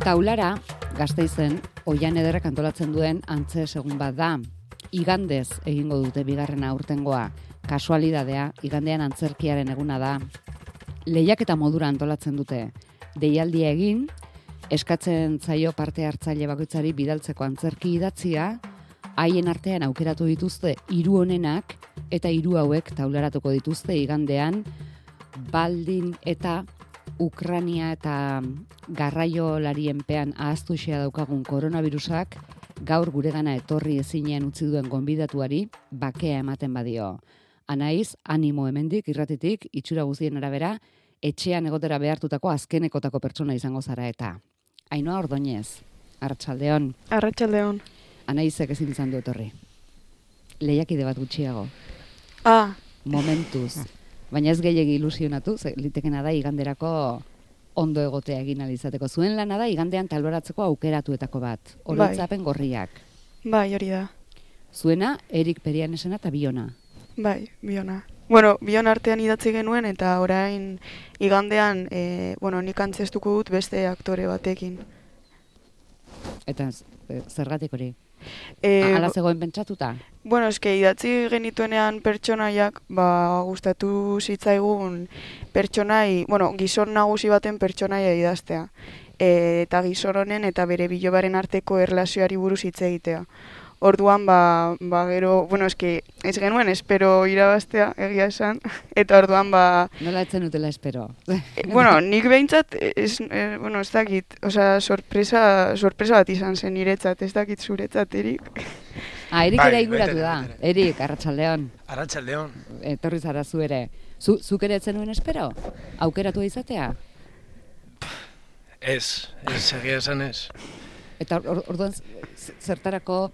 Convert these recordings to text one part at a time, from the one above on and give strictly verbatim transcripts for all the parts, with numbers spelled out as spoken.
Taulara, Gasteizen, Oian Ederrek antolatzen duen antze segun bat da. Igandez egingo dute bigarrena aurtengoa. Kasualidadea, igandean antzerkiaren eguna da. Lehiaketa modura antolatzen dute. Deialdia egin, eskatzen zaio parte hartzaile bakoitzari bidaltzeko antzerki idatzia, haien artean aukeratu dituzte hiru onenak eta hiru hauek taularatuko dituzte igandean, baldin eta Ukrania eta garraiolarienpean ahaztuxea daukagun koronavirusak gaur guregana etorri ezinean utzi duen gonbidatuari bakea ematen badio. Anaiz, animo hemendik, irratitik, itxura guztien arabera, etxean egotera behartutako azkenekotako pertsona izango zara eta. Ainhoa Ordoñez, Arratsaldeon. Arratsaldeon. Anaizek ezin izan du etorri. Lehiakide bat gutxiago. Ah. Momentuz. Baina ez gehiegi ilusionatu, litekena da iganderako ondo egotea egin alizateko. Zuen lana da igandean taloratzeko aukeratuetako bat. Oroitzapen gorriak. Bai, hori da. Zuena, Erik Perianesena eta Biona. Bai, Biona. Bueno, Bion artean idatzi genuen eta orain igandean, e, bueno, nik antzestuko dut beste aktore batekin. Eta zergatik hori? E, Ala zegoen pentsatuta? Bueno, eske idatzi genituenean pertsonaiak, ba, gustatu zitzaigun pertsonai, bueno, gizon nagusi baten pertsonaia idaztea. E, eta gizon honen eta bere bilobaren arteko erlazioari buruz hitz egitea. Orduan, ba, ba gero, bueno, eske ez genuen espero irabaztea, egia esan, eta orduan, ba... Nola etzen utela espero? E, bueno, nik behintzat, ez, e, bueno, ez dakit, osea, sorpresa, sorpresa bat izan zen niretzat, ez dakit zuretzat, Erik. Ah, Erik bai, ere inguratu bete, da. bete. Erik, Arratsaldeon. Arratsaldeon. Etorri zara zu ere. Zu, zuk ere etzen nuen espero? Aukeratu izatea? Ez, ez, egia esan ez. Eta or, orduan zertarako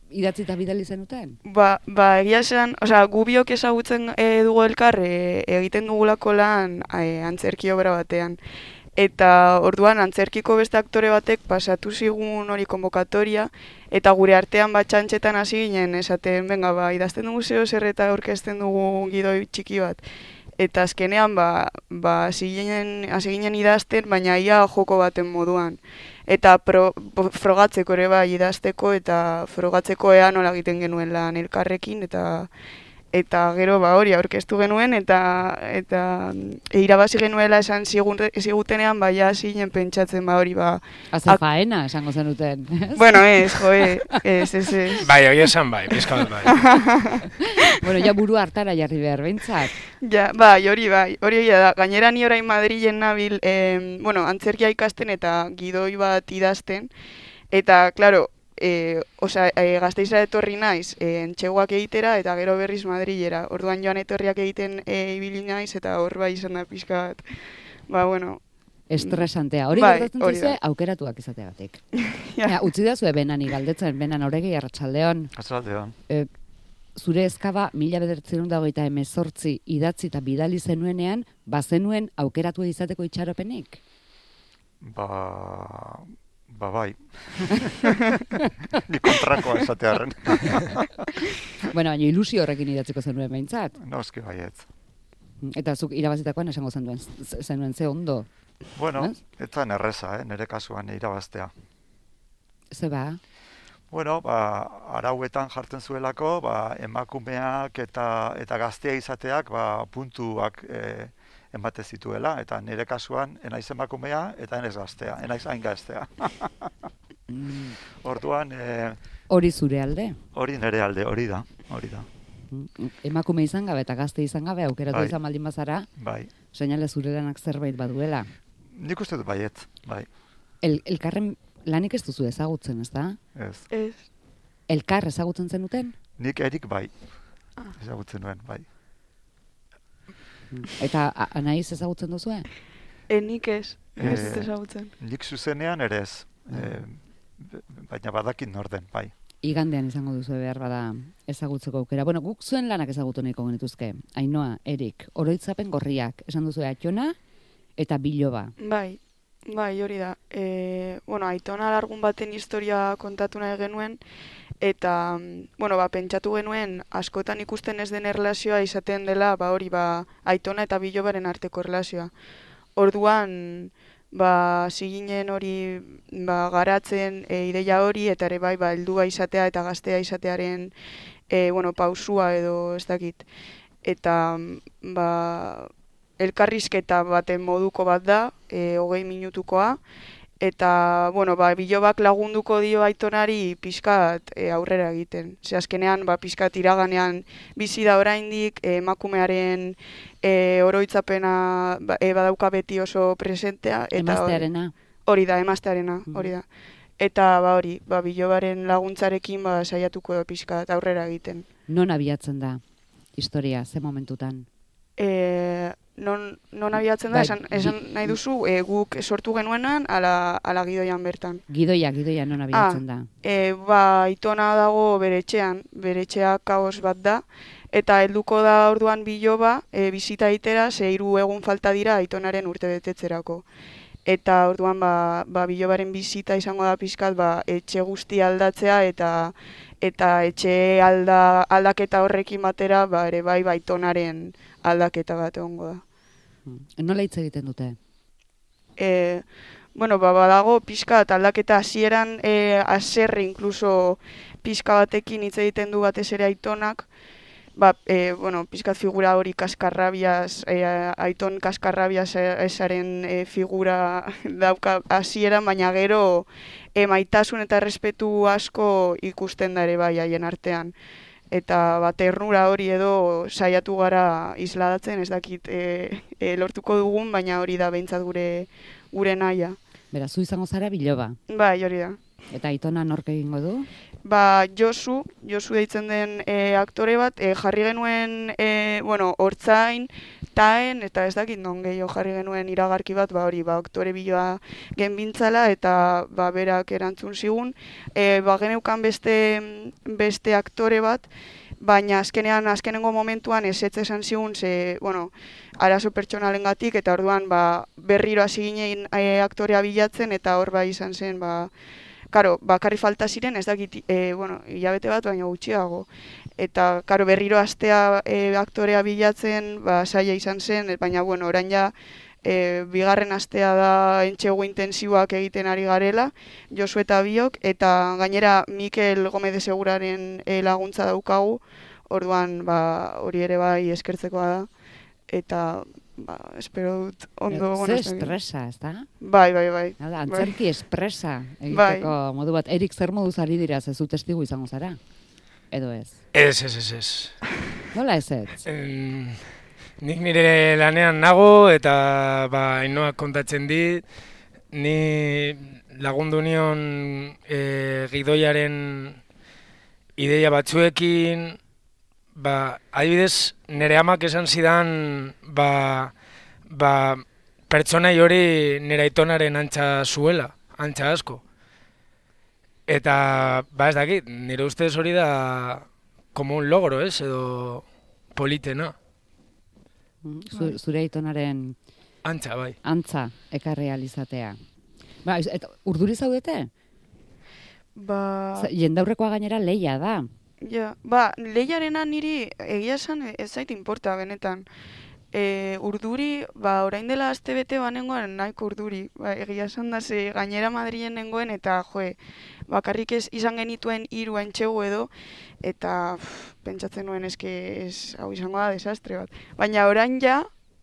idatzi eta bidali zenuten? Ba, ba egia esan, osea, gu biok ezagutzen e, dugu elkar e, egiten dugulako lan e, antzerki obra batean. Eta orduan antzerkiko beste aktore batek pasatu zigun hori konbokatoria eta gure artean bat txantxetan hasi ginen esaten, venga, ba, idazten dugu zeo zer eta aurkezten dugu gidoi txiki bat. Eta azkenean, ba, ba, hasi ginen, hasi ginen idazten, baina ia joko baten moduan. Eta pro, frogatzeko ere bai idazteko eta frogatzeko ea nola egiten genuen lan elkarrekin eta eta gero ba hori aurkeztu genuen eta eta e, irabazi genuela esan zigutenean baia zinen pentsatzen ba hori ba Haze faena esango zenuten. Bueno, ez, jo, ez, ez, ez. Bai, hori esan bai, pizka bat bai. Bueno, ja buru hartara jarri behar behintzat. Ja, bai, hori bai, hori da. Gainera ni orain Madrilen nabil, eh, bueno, antzerkia ikasten eta gidoi bat idazten eta claro, E, osea, e, Gasteizera etorri naiz, e, entxeguak egitera eta gero berriz Madrilera. Orduan joan etorriak egiten e, ibili naiz eta hor bai izan da pixka bat. Ba, bueno. Estresantea. Hori bai, gertatzen zaizue aukeratuak izateagatik. Ja. Ja, utzi da zue benani galdetzen, benan Oregi, Arratsaldeon. Arratsaldeon. E, zure ezkaba mila bederatziehun eta hogeita hemezortzi idatzi eta bidali zenuenean, bazenuen aukeratu izateko itxaropenik? Ba... Ba bai. Ni kontrakoa esatearren. Bueno, baina ilusio horrekin idatziko zenuen behintzat. Noski baietz. Eta zuk irabazitakoan esango zenuen, zenuen ze ondo. Bueno, Ez? ez zen erreza, eh? Nire kasuan irabaztea. Ze ba? Bueno, ba, arauetan jartzen zuelako, ba, emakumeak eta eta gaztea izateak ba, puntuak eh, ematen zituela, eta nire kasuan enaiz emakumea eta enaiz gaztea, enaiz hain gaztea. Mm. Orduan, eh, Hori zure alde? hori nire alde, hori da, hori da. Mm. Emakume izan gabe eta gazte izan gabe aukeratu Bai. izan baldin bazara, Bai. seinale zure lanak zerbait baduela. Nik uste dut baiet, bai, El, elkarren lanik ez duzu ezagutzen, ez da? ez. Ez. Elkar ezagutzen zenuten? Nik erik bai, ezagutzen nuen, bai. Eta a- Anaiz ezagutzen duzue? Enik ez, ez Eh, dut ezagutzen. Nik zuzenean ere ez, eh, baina badakit norden, bai. Igandean izango duzu behar bada ezagutzeko aukera. Bueno, guk zuen lanak ezagutu nahiko genituzke. Ainhoa, Erik, oroitzapen gorriak, esan duzu Atxona eta Biloba. Bai, bai, hori da. E, bueno, Aitona Alargun baten historia kontatu nahi genuen, eta, bueno, ba, pentsatu genuen askotan ikusten ez den erlazioa izaten dela, ba hori, ba, Aitona eta Bilobaren arteko erlazioa. Orduan, ba, ziginen hori ba, garatzen e, ideia hori, eta ere bai, ba, heldua izatea eta gaztea izatearen e, bueno, pausua edo ez dakit. Eta ba, elkarrizketa baten moduko bat da, e, hogei minutukoa, eta, bueno, ba, bilobak lagunduko dio Aitonari pixkat e, aurrera egiten. Ze azkenean, ba, pixkat iraganean bizi da oraindik, e, emakumearen e, oroitzapena ba, e, badauka beti oso presentea. Eta Emaztearena. Hori da, emaztearena, hori da. Eta, ba, hori, ba, bilobaren laguntzarekin, ba, saiatuko da pixkat aurrera egiten. Non abiatzen da historia, ze momentutan? E, non, non abiatzen da, Bai, esan, esan nahi duzu, e, guk sortu genuenan, ala, ala gidoian bertan. Gidoia, gidoia non abiatzen da? E, ba, Aitona dago bere etxean, bere etxea kaos bat da, eta helduko da orduan biloba, e, bizita itera, ze hiru egun falta dira Aitonaren urte betetzerako. Eta orduan ba, ba, bilobaren bizita izango da pixkat ba, etxe guzti aldatzea eta eta etxe alda, aldaketa horrekin batera ba, ere bai Aitonaren aldaketa bat egongo da. Nola hitz egiten dute? E, bueno, ba, badago pixkat aldaketa hasieran e, haserre inkluso pixka batekin hitz egiten du batez ere Aitonak. Ba, e, bueno, pizkat figura hori kaskarrabiaz, e, Aiton kaskarrabiaz esaren e, figura dauka hasieran, baina gero e, maitasun eta errespetu asko ikusten da ere bai haien artean. Eta ba, ternura hori edo saiatu gara isladatzen, ez dakit e, e, lortuko dugun, baina hori da behintzat gure, gure nahia. Beraz, zu izango zara biloba. Bai, hori da. Eta Aitona nork egingo du? Ba, Josu, Josu deitzen den e, aktore bat, e, jarri genuen, e, bueno, hortzain, taen, eta ez dakit non gehiago jarri genuen iragarki bat, ba hori, ba, aktore biloa genbintzala, eta ba, berak erantzun zigun. E, ba, geneukan beste, beste aktore bat, baina azkenean, azkenengo momentuan ezetz esan zigun, ze, bueno, arazo pertsonalengatik, eta orduan, ba, berriro hasi ginen e, aktorea bilatzen, eta hor bai izan zen, ba, Karo, bakarri falta ziren, ez dakit, e, bueno, hilabete bat, baina gutxiago. Eta, karo, berriro astea e, aktorea bilatzen, ba, saia izan zen, baina, bueno, orain ja, e, bigarren astea da entxegu intensiboak egiten ari garela, Josu eta biok, eta gainera Mikel Gomez de Seguraren e, laguntza daukagu, orduan, ba, hori ere bai eskertzekoa da, eta... Ba, espero dut ondo... Ze espresa, ez da? Bai, bai, bai. Nada, antzerki bai. Espresa egiteko bai. Modu bat. Erik, zer moduz ari dira, zezu testigu izango zara? Edo ez? Ez, ez, ez, ez. Nola ez ez? Mm, nik nire lanean nago eta ba, Ainoak kontatzen dit, ni lagundu nion e, gidoiaren ideia batzuekin, ba, adibidez, nire amak esan zidan, ba, ba, pertsonai hori nire Aitonaren antza zuela, antza asko. Eta, ba ez dakit, nire ustez hori da como un logro, ez, edo politena. Zure Aitonaren antza, bai. Antza, ekarri alizatea. Ba, eta urduri zaudete? Ba... Jendaurrekoa gainera leia da. Ja, ba, lehiarena niri egia esan ez zait inporta benetan. E, urduri, ba, orain dela aste bete banengoan nahiko urduri. Ba, egia esan da ze gainera Madrilen nengoen eta joe, bakarrik ez izan genituen hiru entxegu edo, eta pff, pentsatzen nuen eske ez hau izango da desastre bat. Baina orain ja,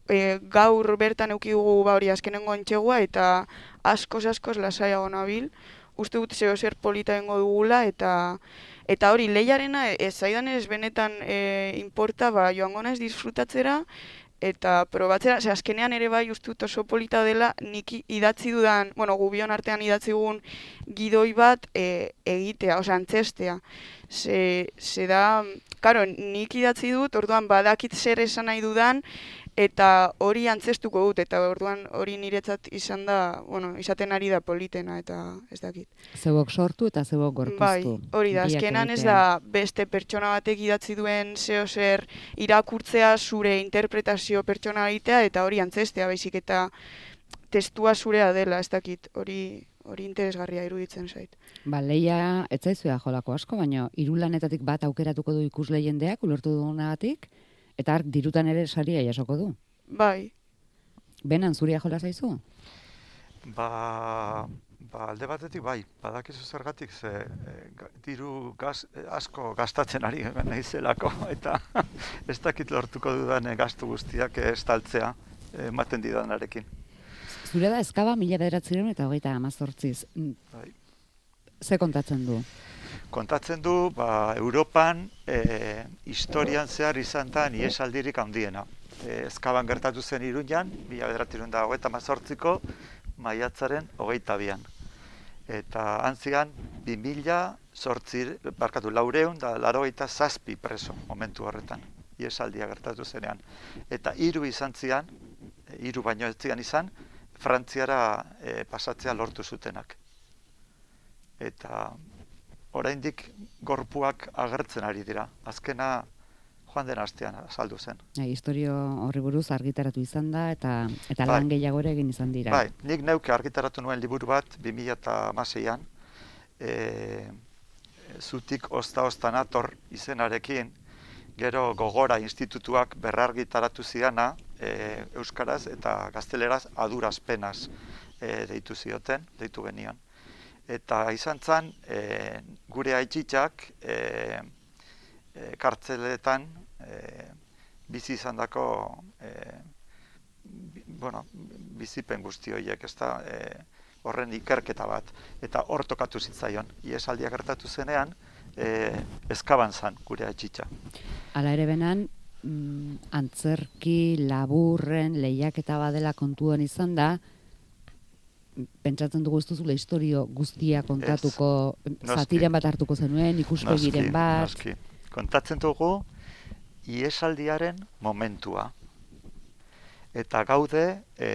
e, gaur bertan eukidugu ba hori azkenengo entxegua eta askoz askoz lasaiago nabil. Uste dut zeo zer polita dengo dugula eta Eta hori, lehiarena ez zaidan ez benetan e, inporta, ba, joango naiz disfrutatzera, eta probatzera, ze azkenean ere bai uste dut oso polita dela, nik idatzi dudan, bueno, gubion artean idatzi dugun gidoi bat e, egitea, osea, antzestea. Ze, ze da, karo, nik idatzi dut, orduan badakit zer esan nahi dudan, eta hori antzestuko dut, eta orduan hori niretzat izan da, bueno, izaten ari da politena, eta ez dakit. Zeuok sortu eta zeuok gorpuztu. Bai, hori da, azkenan ez da beste pertsona batek idatzi duen zeo zer irakurtzea zure interpretazio pertsonalitea, eta hori antzestea, baizik eta testua zurea dela, ez dakit, hori... hori interesgarria iruditzen zait. Ba, leia, ez zaizuea jolako asko, baina hiru lanetatik bat aukeratuko du ikusle jendeak, ulertu dugunagatik, eta ark dirutan ere saria jasoko du. Bai. Benan zuria jola zaizu? Ba, ba alde batetik bai, badakizu zergatik ze e, ga- diru gaz, e, asko gastatzen ari naizelako eta ez dakit lortuko dudan e, gastu guztiak e, estaltzea e, ematen didanarekin. Zure da eskaba mila bederatzireun eta hogeita amazortziz. Bai. Ze kontatzen du? Kontatzen du, ba, Europan e, historian zehar izan da ihesaldirik handiena. E, Ezkaban gertatu zen Iruñan, mila bederatzireun eta hogeita amazortziko, maiatzaren hogeita bian. Eta antzian, bi mila sortzi, barkatu, laureun da laurogeita zazpi preso momentu horretan, ihesaldia gertatu zenean. Eta hiru izan zian, hiru baino ez zian izan, Frantziara e, pasatzea lortu zutenak. Eta oraindik gorpuak agertzen ari dira. Azkena joan den astean azaldu zen. Bai, historio horri buruz argitaratu izan da eta eta Bai. lan gehiago ere egin izan dira. Bai, nik neuke argitaratu nuen liburu bat bi mila hamaseian, e, zutik ozta-ozta nator izenarekin, gero Gogora institutuak berrargitaratu zidana, e, euskaraz eta gazteleraz adurazpenaz e, deitu zioten, deitu genion. Eta izan zen, e, gure aitzitzak e, e, kartzeletan e, bizi izan dako e, bi, bueno, bizipen guzti horiek, ez da, e, horren ikerketa bat. Eta hor tokatu zitzaion, ihesaldia gertatu zenean, e, Ezkaban zan gure aitzitzak. Hala ere benan, mm, antzerki, laburren, lehiaketa badela kontuan izan da, pentsatzen dugu ez duzula historio guztia kontatuko, noski. zatiren bat hartuko zenuen, ikuspegiren bat. Noski. Kontatzen dugu ihesaldiaren momentua. Eta gaude e,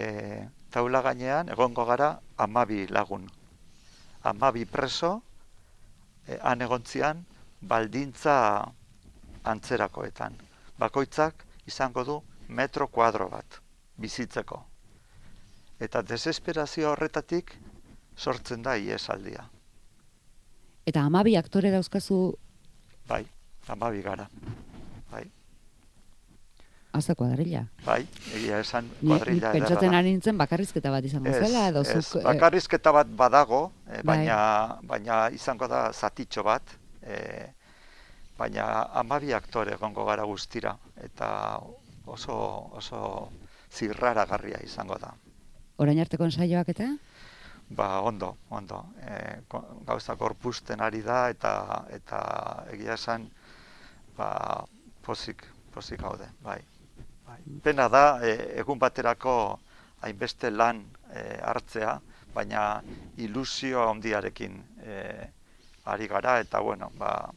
taula gainean egongo gara hamabi lagun. hamabi preso, e, han egontzian baldintza antzerakoetan. Bakoitzak izango du metro kuadro bat bizitzeko. Eta desesperazio horretatik sortzen da ihesaldia. Eta hamabi aktore dauzkazu Bai, hamabi gara. Bai, haza kuadrilla. bai, egia esan Ni, ni kuadrilla ederra pentsatzen da. ari nintzen bakarrizketa bat izango zela, edo Ez, zuk... eh, bakarrizketa bat badago, eh, Bai. baina, baina izango da zatitxo bat, eh, baina hamabi aktore egongo gara guztira, eta oso, oso zirraragarria izango da. orain arteko ensaioak eta? Ba, ondo, ondo. E, gauza gorpusten ari da, eta eta egia esan, ba, pozik, pozik gaude, bai. bai. Pena da, e, egun baterako hainbeste lan e, hartzea, baina ilusio handiarekin e, ari gara, eta bueno, ba,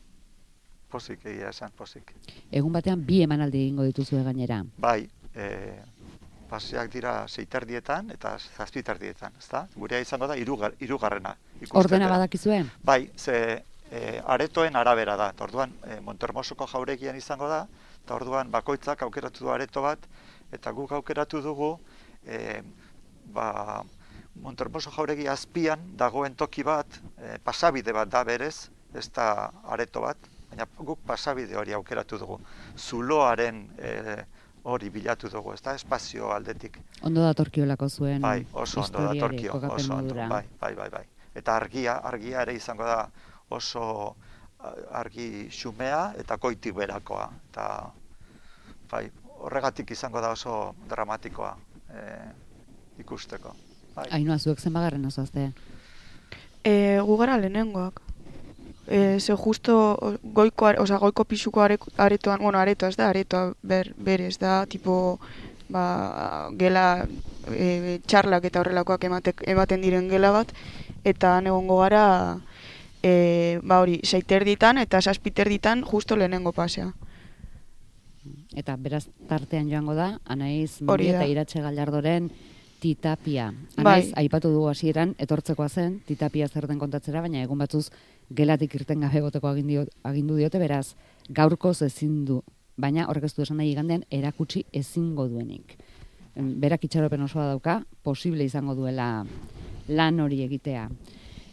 pozik egia esan, pozik. Egun batean bi emanaldi egingo dituzue gainera. Bai, e, paseak dira seiterdietan eta zazpiterdietan, ezta? Gurea izango da hirugar, hirugarrena. ikusten Ordena dela. badakizue? Bai, ze e, aretoen arabera da. Eta orduan e, Montermosoko jauregian izango da, eta orduan bakoitzak aukeratu du areto bat, eta guk aukeratu dugu e, ba, Montermoso jauregi azpian dagoen toki bat, e, pasabide bat da berez, ez da areto bat, baina guk pasabide hori aukeratu dugu. Zuloaren e, hori bilatu dugu, ez da, espazio aldetik. Ondo datorkiolako zuen Bai, oso ondo historiari, datorkio, kokapen oso ondo, modura. bai, bai, bai, bai. Eta argia, argia ere izango da oso argi xumea eta goitik berakoa. Eta, bai, horregatik izango da oso dramatikoa e, ikusteko. Bai. Ainhoa, zuek zenbagarren ozoazte? E, gu gara lehenengoak. E, ze justo goiko, are- osea, goiko pisuko are, aretoan, bueno, aretoa ez da, aretoa ber, berez da, tipo, ba, gela, e, txarlak eta horrelakoak ematek, ematen diren gela bat, eta han egongo gara, e, ba hori, seiterditan eta saspiterditan justo lehenengo pasea. Eta beraz tartean joango da, Anaiz Hori Muri eta da. Iratxe Gallardoren Titapia. Bai. Anaiz, aipatu dugu hasieran, etortzekoa zen, Titapia zer den kontatzera, baina egun batzuz gelatik irten gabe egoteko agindu, agindu diote, beraz, gaurkoz ezin du, baina horrek ez du esan nahi igandean erakutsi ezingo duenik. Em, Berak itxaropen osoa dauka, posible izango duela lan hori egitea.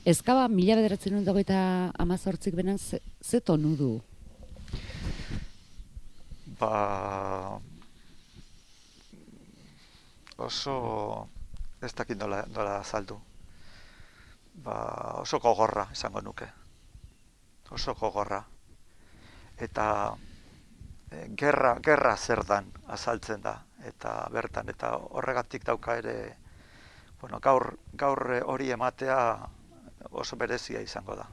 Ezkaba mila bederatzen dut hogeita amazortzik benen ze, ze tonu du? Ba, oso ez dakit nola, nola azaldu. Ba, oso gogorra esango nuke. Oso gogorra. Eta e, gerra, gerra zer dan azaltzen da. Eta bertan, eta horregatik dauka ere, bueno, gaur, gaur hori ematea oso berezia izango da.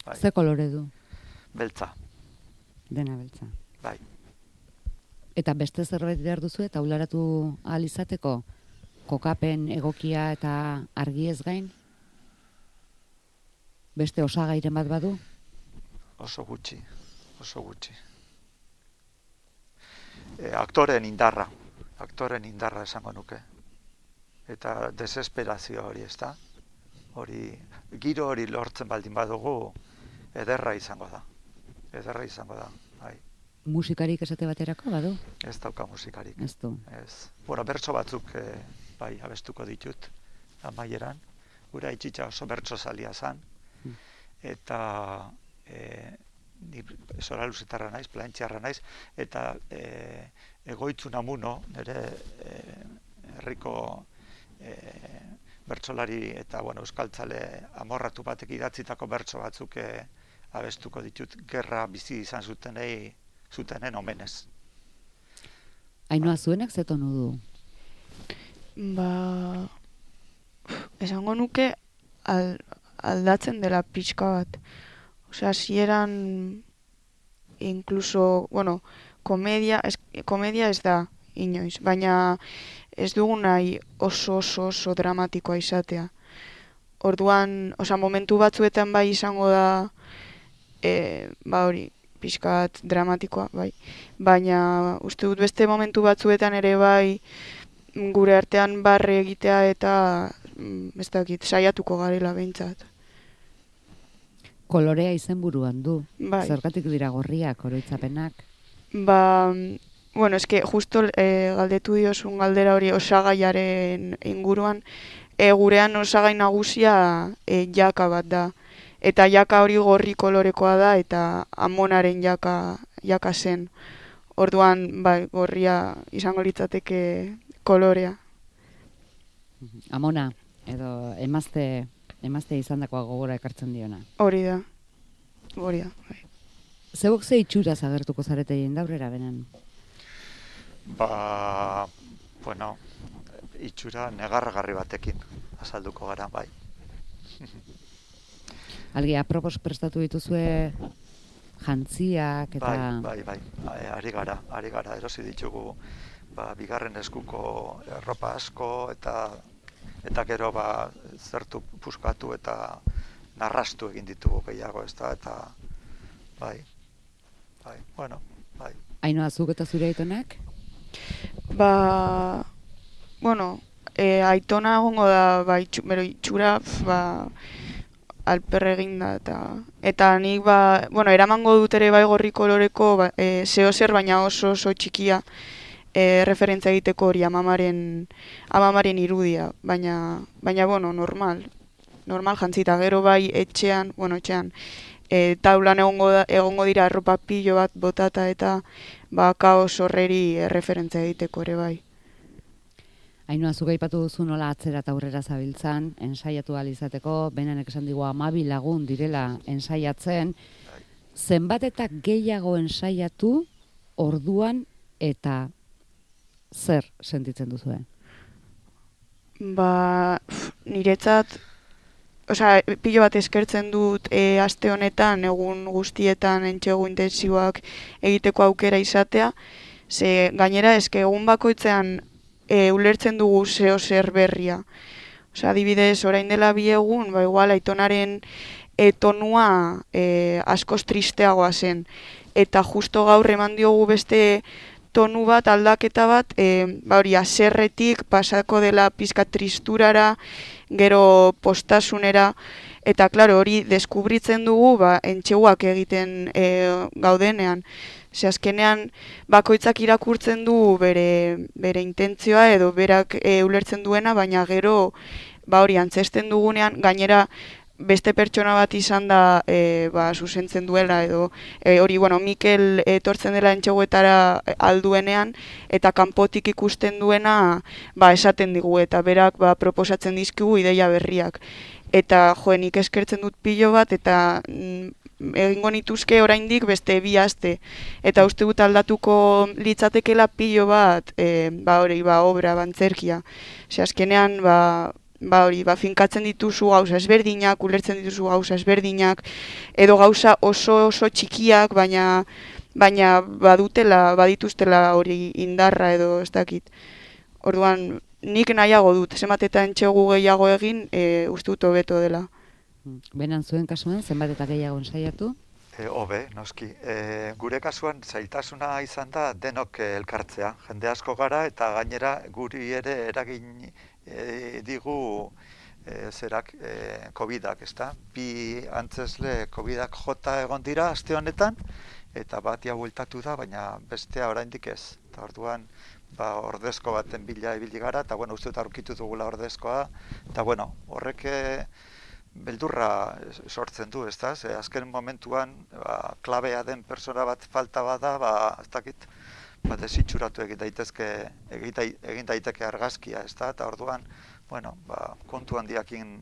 Bai. Ze kolore du? Beltza. Dena beltza. Bai. Eta beste zerbait behar duzu eta ularatu ahal izateko? Kokapen egokia eta argi ez gain? Beste osagairen bat badu? Oso gutxi, oso gutxi. E, aktoren indarra, aktoren indarra esango nuke. Eta desesperazio hori, ezta? Hori, giro hori lortzen baldin badugu, ederra izango da. Ederra izango da, bai. Musikarik esate baterako badu? Ez dauka musikarik. Ez du. Ez. Bueno, bertso batzuk e, bai abestuko ditut amaieran. Gura itxitxa oso bertso zalia zan. Hmm. Eta e, ni zora luzetarra naiz, plantxarra naiz, eta e, egoitzu namuno, nire e, herriko e, bertsolari eta bueno, euskaltzale amorratu batek idatzitako bertso batzuk e, abestuko ditut gerra bizi izan zutenei zutenen omenez. Ainhoa, zuenak ze tonu du? Ba, esango nuke al, aldatzen dela pixka bat. Osea, hasieran incluso, bueno, komedia, es, komedia ez da inoiz, baina ez dugu nahi oso oso oso dramatikoa izatea. Orduan, osea, momentu batzuetan bai izango da e, ba hori, pixka bat dramatikoa, bai. Baina uste dut beste momentu batzuetan ere bai gure artean barre egitea eta ez dakit, saiatuko garela behintzat. Kolorea izenburuan du. Bai. Zergatik dira gorriak, oroitzapenak? Ba, bueno, eske justo e, galdetu diozun galdera hori osagaiaren inguruan, e, gurean osagai nagusia e, jaka bat da. Eta jaka hori gorri kolorekoa da eta amonaren jaka, jaka zen. Orduan, bai, gorria izango litzateke kolorea. Amona, edo emazte, emazte izandakoa gogora ekartzen diona. Hori da, hori da. Bai. Zeuk ze itxuraz agertuko zarete jendaurrera benen? Ba, bueno, itxura negarragarri batekin azalduko gara, bai. Algi, apropos prestatu dituzue jantziak eta... Bai, bai, bai, ari gara, ari gara, erosi ditugu ba, bigarren eskuko erropa asko eta eta gero ba, zertu puskatu eta narrastu egin ditugu gehiago, ez da, eta bai, bai, bueno, bai. Ainhoa, zuk eta zure aitonak? Ba, bueno, e, aitona egongo da, ba, itxu, bero itxura, ba, alperre egin da, eta, eta nik, ba, bueno, eramango dut ere bai gorri koloreko, ba, e, zeo zer, baina oso oso txikia, e, referentzia egiteko hori amamaren, amamaren irudia, baina, baina, bueno, normal, normal jantzita, gero bai etxean, bueno, etxean, e, taulan egongo, da, egongo dira arropa pilo bat botata eta ba, kaos horreri referentzia egiteko ere bai. Ainhoa, zuk aipatu duzu nola atzera eta aurrera zabiltzan, ensaiatu ahal izateko, benanek esan digu hamabi lagun direla ensaiatzen, zenbat eta gehiago ensaiatu orduan eta zer sentitzen duzuen? Ba, niretzat, osea, pilo bat eskertzen dut e, aste honetan, egun guztietan entxegu intentsiboak egiteko aukera izatea, ze gainera eske egun bakoitzean e, ulertzen dugu zeo zer berria. Osea, adibidez, orain dela bi egun, ba igual aitonaren e, tonua e, askoz tristeagoa zen. Eta justo gaur eman diogu beste tonu bat, aldaketa bat, e, ba hori, aserretik pasako dela pizka tristurara, gero postasunera, eta klaro, hori deskubritzen dugu, ba, entxeguak egiten e, gaudenean. Ze azkenean, bakoitzak irakurtzen du bere, bere intentzioa edo berak e, ulertzen duena, baina gero, ba hori, antzesten dugunean, gainera, beste pertsona bat izan da e, ba, zuzentzen duela edo e, hori, bueno, Mikel etortzen dela entxeguetara alduenean eta kanpotik ikusten duena ba, esaten digu eta berak ba, proposatzen dizkigu ideia berriak. Eta jo, nik eskertzen dut pilo bat eta mm, egingo nituzke oraindik beste bi aste. Eta uste dut aldatuko litzatekela pilo bat e, ba, hori, ba, obra, bantzerkia. Ose, azkenean, ba, ba hori, ba finkatzen dituzu gauza ezberdinak, ulertzen dituzu gauza ezberdinak, edo gauza oso oso txikiak, baina baina badutela, badituztela hori indarra edo ez dakit. Orduan, nik nahiago dut, zenbat eta entxegu gehiago egin, e, uste dut hobeto dela. Benan zuen kasuan, zenbat eta gehiago ensaiatu? E, hobe, noski. E, gure kasuan zailtasuna izan da denok elkartzea. Jende asko gara eta gainera guri ere eragin e, digu e, zerak e, covidak, ezta? Bi antzesle covidak jota egon dira aste honetan eta batia bueltatu da, baina bestea oraindik ez. Eta orduan ba, ordezko baten bila ibili gara eta bueno, uste dut aurkitu dugula ordezkoa eta bueno, horrek beldurra sortzen du, ezta? Ze azken momentuan ba, klabea den persona bat falta bada, ba, ez dakit, ba, desitxuratu egin daitezke, egin daiteke argazkia, ezta? Eta orduan, bueno, ba, kontu handiakin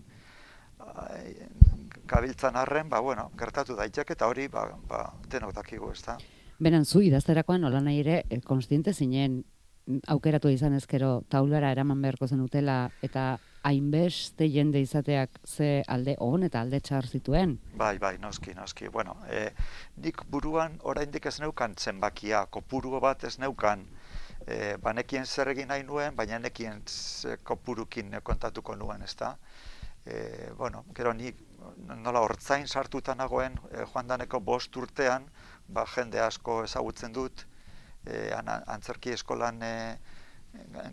kabiltzan arren, ba, bueno, gertatu daiteke eta hori, ba, ba, denok dakigu, ezta? Beran, zu idazterakoan, nola nahi ere, konstiente zinen aukeratu izan ezkero taulara eraman beharko zenutela eta hainbeste jende izateak ze alde on eta alde txar zituen? Bai, bai, noski, noski. Bueno, e, nik buruan oraindik ez neukan zenbakia, kopuru bat ez neukan, e, banekien zer egin nahi nuen, baina nekien kopurukin kontatuko nuen, ezta? E, bueno, gero nik nola hortzain sartuta nagoen, e, joan daneko bost urtean, ba, jende asko ezagutzen dut, E, antzerki eskolan e,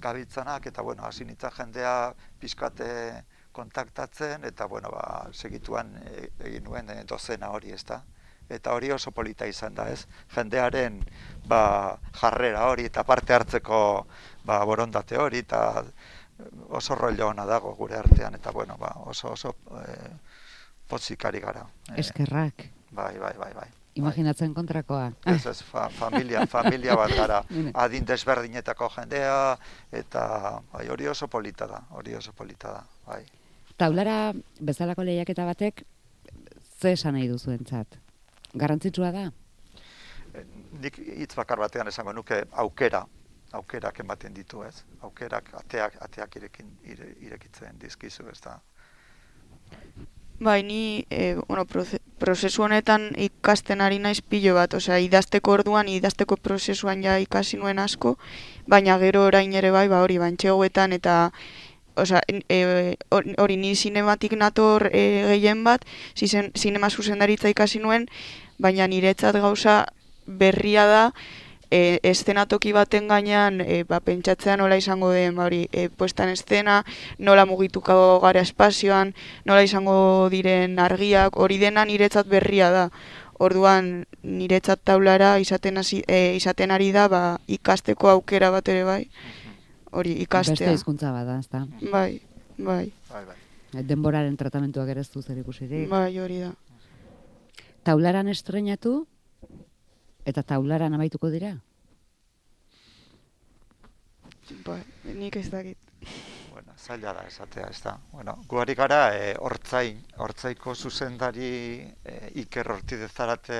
gabiltzanak eta bueno, hasi nintzen jendea pizkate kontaktatzen eta bueno, ba, segituan e, egin nuen e, dozena hori, ezta? Eta hori oso polita izan da, ez? Jendearen ba, jarrera hori eta parte hartzeko ba, borondate hori eta oso rollo ona dago gure artean eta bueno, ba, oso oso e, potzikari gara. Eskerrak. E, bai, bai, bai, bai. Imaginatzen kontrakoa. Ez ez, fa, familia, familia bat gara, adin desberdinetako jendea, eta bai, hori oso polita da, hori oso polita da, bai. Taulara bezalako lehiaketa batek, ze esan nahi duzuentzat? Garrantzitsua da? Nik hitz bakar batean esango nuke aukera, aukerak ematen ditu, ez? Aukerak, ateak, ateak irekin, ire, irekitzen dizkizu, ez da. Bai, ni e, bueno, prozesu honetan ikasten ari naiz pilo bat, osea, idazteko orduan, idazteko prozesuan ja ikasi nuen asko, baina gero orain ere bai, ba hori, bantxegoetan eta osea, e, hori ni sinematik nator e, gehien bat, zizen, sinema zuzendaritza ikasi nuen, baina niretzat gauza berria da, E, eszenatoki baten gainean e, ba, pentsatzea nola izango den ba, hori, e, puestan estena, nola mugituko gara espazioan, nola izango diren argiak, hori dena niretzat berria da. Orduan niretzat taulara izaten, hasi, e, izaten ari da ba, ikasteko aukera bat ere bai, hori ikastea. Beste hizkuntza bada, ezta? Bai, bai. Bai, bai. Denboraren tratamentuak ere ez du zer ikusirik. Bai, hori da. Taularan estrenatu? Eta taularan amaituko dira? Ba, nik ez dakit. Bueno, zaila da esatea, ez da. Bueno, guari gara, e, hortzain, hortzaiko zuzendari e, Iker Ortidezarate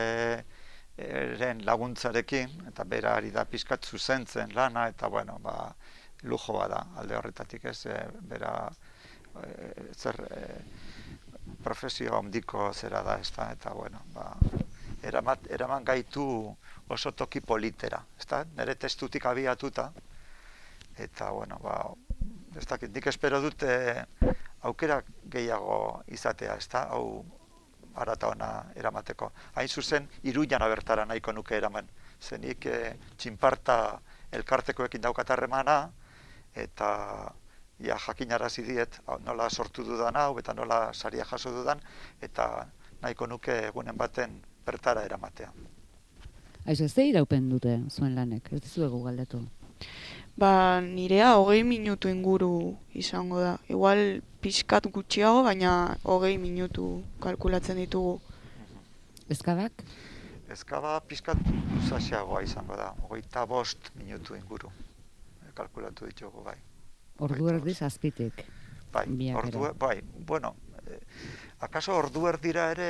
eren laguntzarekin, eta bera ari da pizkat zuzentzen lana, eta bueno, ba, lujo bada alde horretatik, ez, e, bera e, zer e, profesio handiko zera da, ez da, eta bueno, ba, Eramat, eraman gaitu oso toki politera, ezta? Nere testutik abiatuta, eta, bueno, ba, ez dakit, nik espero dut aukera gehiago izatea, ezta? Hau arata ona eramateko. Hain zuzen, Iruñan bertara nahiko nuke eraman. Zenik e, txinparta elkartekoekin daukat harremana, eta ja, jakinarazi diet nola sortu dudan hau, eta nola saria jaso dudan, eta nahiko nuke egunen baten bertara eramatea. Aizu, ez da iraupen dute zuen lanek, ez dizuegu galdetu? Ba, nirea hogei minutu inguru izango da. Igual pixkat gutxiago, baina hogei minutu kalkulatzen ditugu. Ezkabak? Ezkaba pixkat luzaxeagoa izango da, hogeita bost minutu inguru. Kalkulatu ditugu, bai. Ordu erdiz azpitik. Bai, ordu, bai, bueno, eh, akaso ordu erdira ere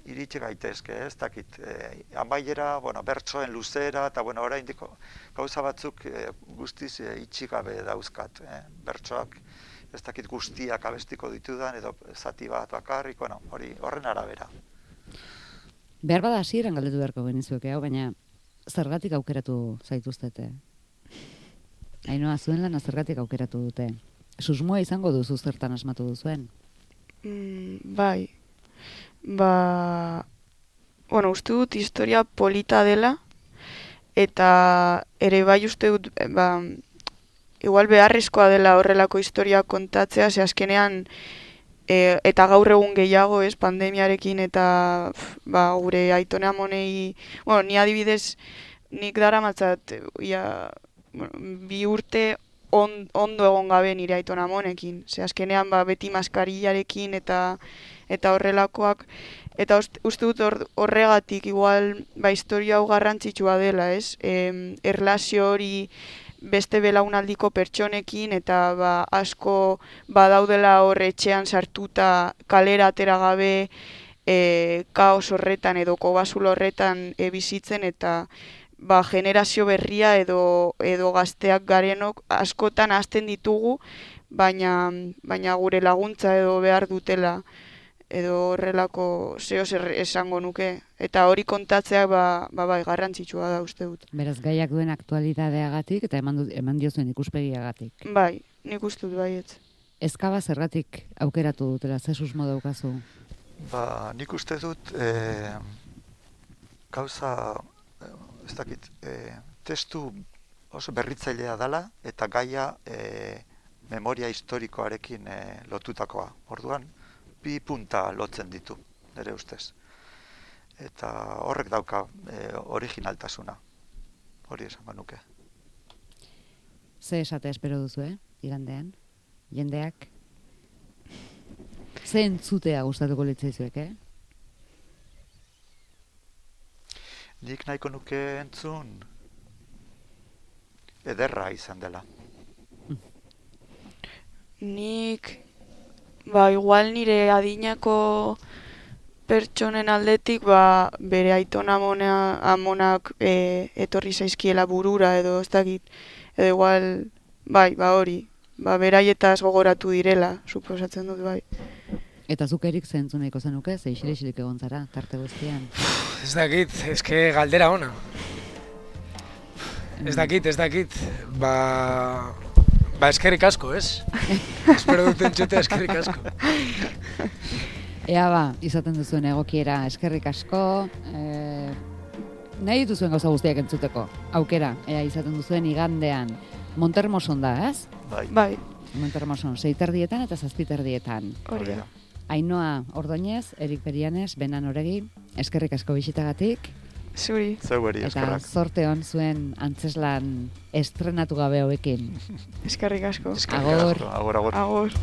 iritsi gaitezke, ez dakit. Eh, amaiera, bueno, bertsoen luzera, eta bueno, oraindik gauza batzuk eh, guztiz eh, itxi gabe dauzkat. Eh, bertsoak ez dakit guztiak abestiko ditudan, edo zati bat bakarrik, bueno, hori horren arabera. Behar bada hasieran galdetu beharko genizueke, hau, baina zergatik aukeratu zaituztete? Ainoa, zuen lana zergatik aukeratu dute? Susmoa izango duzu zertan asmatu duzuen? Mm, bai, ba, bueno, uste dut historia polita dela, eta ere bai uste dut, ba, igual beharrezkoa dela horrelako historia kontatzea, ze azkenean, e, eta gaur egun gehiago, ez, pandemiarekin, eta ba, gure aitone amonei, bueno, ni adibidez, nik daramatzat, ia, bueno, bi urte on, ondo egon gabe nire aitona amonekin. Ze azkenean ba, beti maskarillarekin eta eta horrelakoak. Eta uste, uste dut or, horregatik igual ba, historia hau garrantzitsua dela, ez? E, erlazio hori beste belaunaldiko pertsonekin eta ba, asko badaudela hor etxean sartuta kalera atera gabe e, kaos horretan edo kobazulo horretan e, bizitzen eta ba, generazio berria edo edo gazteak garenok askotan hasten ditugu, baina baina gure laguntza edo behar dutela edo horrelako zeo zer esango nuke. Eta hori kontatzea ba, ba, bai, garrantzitsua da uste dut. Beraz, gaiak duen aktualidadeagatik eta eman, du, eman diozuen ikuspegiagatik. Bai, nik uste dut baietz. Ezkaba zergatik aukeratu dutela, ze susmo daukazu? Ba, nik uste dut eh, gauza ez dakit, e, testu oso berritzailea dela eta gaia e, memoria historikoarekin e, lotutakoa. Orduan, bi punta lotzen ditu, nire ustez. Eta horrek dauka e, originaltasuna, hori esango nuke. Ze esate espero duzu, eh? Igandean, jendeak? Ze entzutea gustatuko litzaizuek, eh? Nik nahiko nuke entzun ederra izan dela. Nik, ba, igual nire adinako pertsonen aldetik, ba, bere aitona amona, amonak e, etorri zaizkiela burura edo ez dakit, edo igual, bai, ba hori, ba, beraietaz gogoratu direla, suposatzen dut, bai. Eta zuk erik zentzu nahiko zenuke, ze isilik egon zara, tarte guztian. Ez dakit, eske galdera ona. Ez dakit, ez dakit, ba... Ba eskerrik asko, ez? Espero dut entzutea eskerrik asko. Ea ba, izaten duzuen egokiera eskerrik asko, e, nahi dituzuen gauza guztiak entzuteko, aukera, ea izaten duzuen igandean. Montermoson da, ez? Bai. Bai. Montermoson, seiterdietan eta zazpiterdietan. Hori da. Ainhoa Ordoñez, Erik Berianes, Benan Oregi, eskerrik asko bisitagatik. Zuri. Zeugeri, eskerrak. Eta zorte hon zuen antzeslan estrenatu gabe hauekin. Eskerrik asko. Eskerrik asko, agor, agor. Agor.